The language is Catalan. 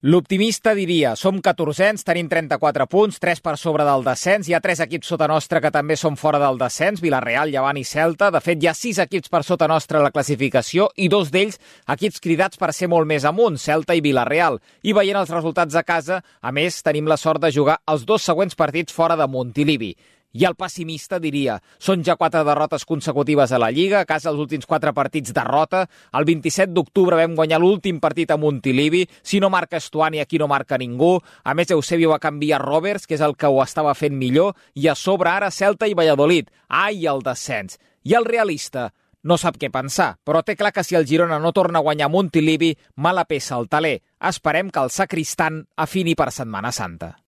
L'optimista diria, som 14ens, tenim 34 punts, 3 per sobre del descens, hi ha 3 equips sota nostra que també són fora del descens, Vilareal, Llevant i Celta. De fet, hi ha 6 equips per sota nostra a la classificació i 2 d'ells equips cridats per ser molt més amunt, Celta i Vilareal. I veient els resultats a casa, a més, tenim la sort de jugar els 2 següents partits fora de Montilivi. I el pessimista diria, són ja 4 derrotes consecutives a la Lliga, a casa els últims 4 partits derrota, el 27 d'octubre vam guanyar l'últim partit a Montilivi, si no marca Estuani aquí no marca ningú, a més Eusebio va canviar Roberts, que és el que ho estava fent millor, i a sobre ara Celta i Valladolid, ai el descens. I el realista no sap què pensar, però té clar que si el Girona no torna a guanyar a Montilivi, mala peça al taler. Esperem que el sacristant afini per Setmana Santa.